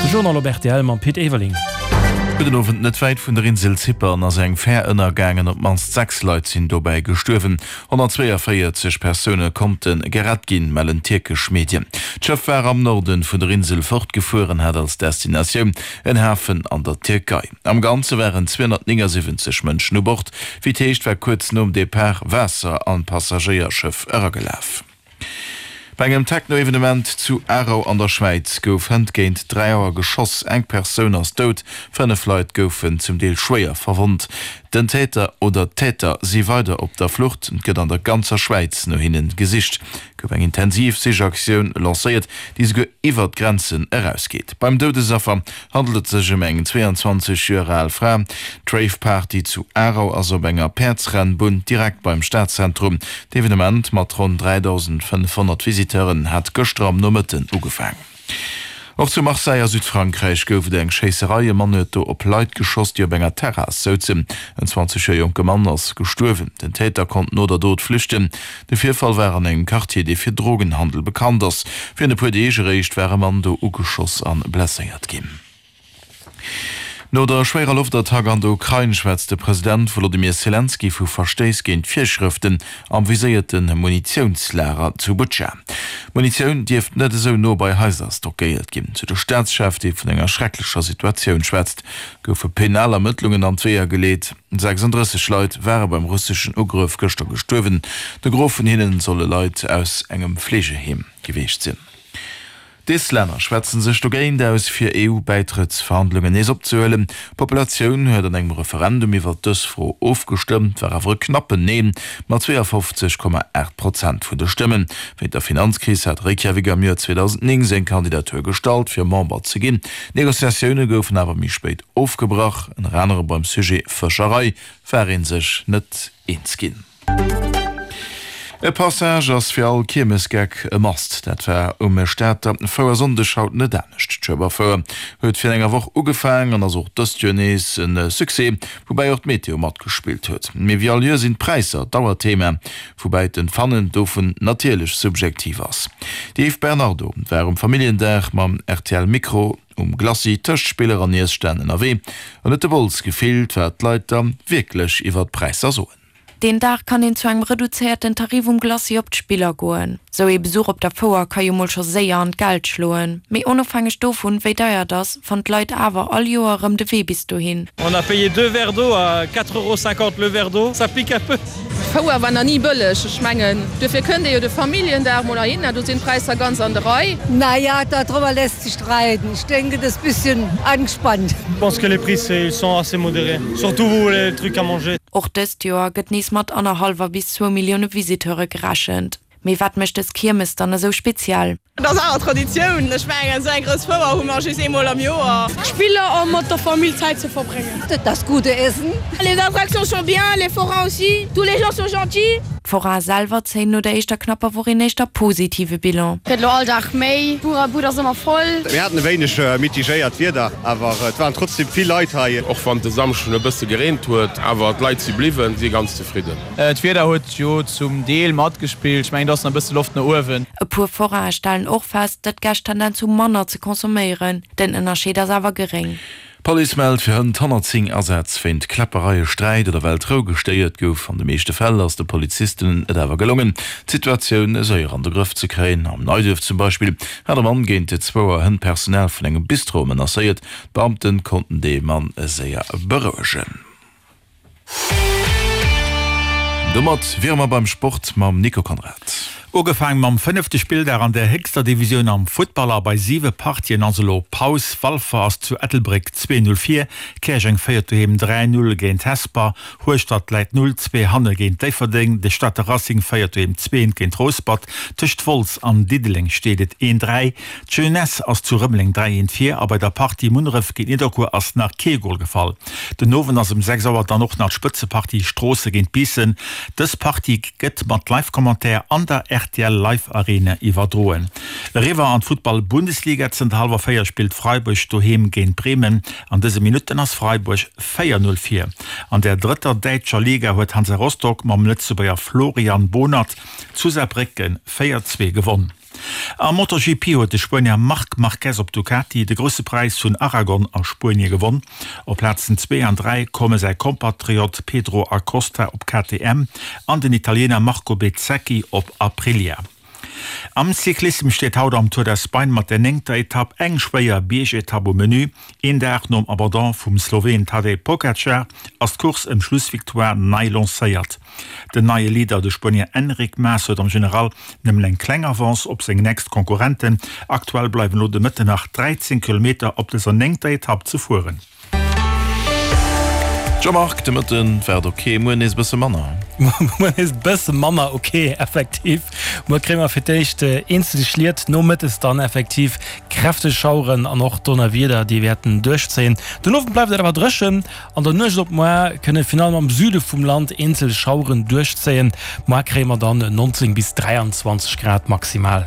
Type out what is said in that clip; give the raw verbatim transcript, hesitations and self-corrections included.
De Journal op rtl mam Pit Everling. Gudden Owend, Net wäit vun der Insel Zypern ass eng Fär ënnergaangen. Op d'mannst sechs Leit sinn dobäi gestuerwen. honnertzweeënvéierzeg Persoune konnte gerett ginn, mellen tierkesch Medien. D'Schëff war am Norde vun der Insel fortgefuer an hat als Destinatioun en Hafen an der Tierkei. Am Ganze waren zweehonnertnéngasiwwenzeg Mënschen u Bord. Wéi et heescht, war kuerz nom Depart Waasser an d'Passagéierschëff eragelaf. Bei engem Techno-Evenement zu Aarau an der Schwäiz gouf hënt géint dräi Auer geschoss. Eng Persoun ass dout, fënnef Leit goufen zum Deel schwéier verwonnt. Den Täter oder d'Täter si weider op der Flucht. Et gëtt an der ganzer Schwäiz no hinne gesicht. Et gouf eng intensiv Sichaktioun lancéiert, déi souguer iwwer d'Grenzen erausgeet. Beim Doudesaffer handelt et sech ëm eng zwee an zwanzeg Joer al Fra. D'Rave-Party zu Aarau ass op enger Päerdsrennbunn direkt beim Stadzentrum. D'Evenement mat ronn dräidausendfënnefhonnert Visiteuren hat gëschter am Nomëtten ugefaang. Och zu Marseille a Südfrankräich gouf et eng Schéisserei. E Mann huet do op Leit geschoss, déi op enger Terrass souzen. En zwanzeg Joer jonke Mann ass gestuerwen. Den Täter konnt no der Dot flüchten. De Virfall war an engem Quartier, dee fir Drogenhandel bekannt ass. Virun e puer Deeg eréischt war e Mann do ugeschoss a blesséiert ginn. No der schwéierer Loftattack an der Ukrain schwätzt de President Wolodymyr Selenskyj vu Verstéiss géint d'Virschrëften am viséierte Munitiounslager zu Butscha. Munitioun dierft net esou no bei Haiser stockéiert ginn, sou de Staatschef, dee vun enger schrecklecher Situatioun schwätzt. Goufe penal Ermëttlungen an d'Weeër geleet. sechsanddrësseg Leit ware beim russeschen Ugrëff gëschter gestuerwen. De Gros vun hinnen solle Leit aus engem Fleegeheem gewiescht sinn. D'Islänner schwätze sech dogéint aus, fir E U-Bäitrëttsverhandlungen nees opzehuelen. D'Populatioun huet an engem Referendum iwwer dës Fro ofgestëmmt, war awer e knappen Neen mat zweeafofzeg Komma aacht Prozent vun de Stëmmen. Wéint der Finanzkris hat Reykjavik am Joer zweedausendnéng seng Kandidatur gestallt, fir Member ze ginn. D'Negociatioune goufen awer méi spéit ofgebrach. Ënner anerem beim Sujet Fëscherei war ee sech net eens ginn. E Passage ass fir all Kiermesgeck e Must. Dat war um Stater Fouersonndeg haut net anescht. D'Schueberfouer huet virun enger Woch ugefaangen an ass och dëst Joer nees e Succès, woubäi och d'Meteo matgespillt huet. Mee wéi all Joer sinn d'Präisser Dauerthema, woubäi d'Empfannen dovun natierlech subjektiv ass. D'Eve Bernardo war um Familljendag mam R T L Mikro um Glacis tëscht Spiller an Iesstänn ënnerwee an huet de Bols gefillt, wat d'Leit da wierklech iwwer d'Präisser soen. Deen Dag kann een zu engem reduzéierten Tarif um Glacis op d'Spiller goen. Sou ee Besuch op der Fouer ka jo mol scho séier an d'Geld schloen. Mee onofhängeg dovun, wéi deier et ass, fannen d'Leit awer all Joer erëm de Wee bis dohin. On a payé deux verres d'eau à quatre euros cinquante le verre d'eau, ça pique un peu. D'Fouer war nach ni bëlleg, ech mengen duerfir kënnt ee jo de Familljendag mol heihinner, do sinn d'Präisser ganz an der Rei. Naja, darüber lässt sich streiten. Ich denke, das ist bisschen angespannt. Je pense que les prix sont assez modérés, surtout les trucs à manger. Och dëst Joer gëtt nees mat annerhallwer bis zwou Millioune Visiteure gerechent. Mee wat mécht dës Kiermes dann esou speziell? Dat ass awer Traditioun. Ech mengen, esou eng grouss Fouer hu mer just eemol am Joer. Spiller a mat der Famill Zäit ze verbréngen. Das gute Essen. Les attractions sont bien, les forains aussi. Tous les gens sont gentils. D'Foraine selwer zéien no der éischter knapper Woch een éischter positive Bilan. Gëtt lo all Dag méi, Bud ass ëmmer voll. Mir haten e wéineg mitigéiert Wieder, awer et waren trotzdem vill Leit hei. Och wann de Samschden e bësse gereent huet, awer d'Leit si bliwwen, si ganz zefridden. D'Wieder huet jo zum Deel matgespillt. Ech mengen, do ass nach e bësse Loft no uewen. E puer Foraine stellen och fest, datt d'Gäscht Tendenz hu manner ze consomméieren. Den Ënnerscheed ass awer geréng. D'Police mellt fir hënt honnertzéng Asätz wéint Kläppereie, Sträit oder well d'Rou gestéiert gouf. An de meeschte Fäll ass de Polizisten et awer gelongen, d'Situatioun séier an de Grëff ze kréien. Am Neiduerf zum Beispill hat e Mann géint zwou Auer hënt d'Personal vun engem Bistro menacéiert. D'Beamte konnten de Mann séier berouegen. Domat wiere mer beim Sport mam Nico Konrad. Ugefaang mam fënnefte Spilldag an der héchster Divisioun am Futtball a bei siwe Partien ass elo Paus. Walfer ass zu Ettelbréck zwee null vir, Käerjeng féiert doheem dräi null géint Hesper, Hueschtert läit null zwee hanne géint Déifferdeng, de Stater Racing féiert doheem zwee eent géint Rouspert, tëscht Wolz an Diddeleng steet et een dräi, d'Jeunesse ass zu Rëmeleng dräi eent vir a bei der Partie Munneref géint Nidderkuer ass nach kee Gol gefall. Den Owend ass um sechs Auer dann och nach d'Spëtzepartie Stroosse géint Biissen. Dës Partie gëtt mat Live-Commentaire an der R T L Live Arena iwwerdroen. Eriwwer an d'Futtball-Bundesliga, Zënter hallwer véier spillt Freiburg doheem géint Bremen. An dëse Minutten ass Freiburg véier null vir. An der drëtter däitscher Liga huet Hansa Rostock mam Lëtzebuerger Florian Bohnert zu Saarbrécken véier zwee gewonn. Am MotoGP huet de Spuenier Marc Marquez op Ducati de Grousse Präis vun Aragon a Spuenie gewonn. Op Plazen zwee an dräi komme säi Kompatriot Pedro Acosta op K T M an den Italiener Marco Bezzecchi op Aprilia. Am Cyclissem steet haut am Tour d'Espagne mat der néngter Etapp eng schwéier Biergetapp um Menü. Een Dag nom Abandon vum Sloween Tadej Pogacar ass d'Course ëm d'Schlussvictoire nei lancéiert. Den neie Leader, de Spuenier Enric Mas, huet am General nëmmen eng kleng Avance op seng nächst Konkurrenten. Aktuell bleiwen elo de Mëtten nach dräizéng Kilometer op dëser néngter Etapp ze fueren. Jean-Marc, de Mëtten war et ok, muer nees bësse manner. Muer nees bësse manner ok, effektiv. Muer kréie mer fir d'éischt eenzel Schliet, nomëttes dann effektiv kräfteg Schaueren an och Donnerwieder, déi wäerten duerchzéien. Den Owend bleift et awer dréchen. An der Nuecht op muer kënne virun allem am Süde vum Land eenzel Schaueren duerchzéien. Muer kréie mer dann neunzéng bis dräianzwanzeg Grad maximal.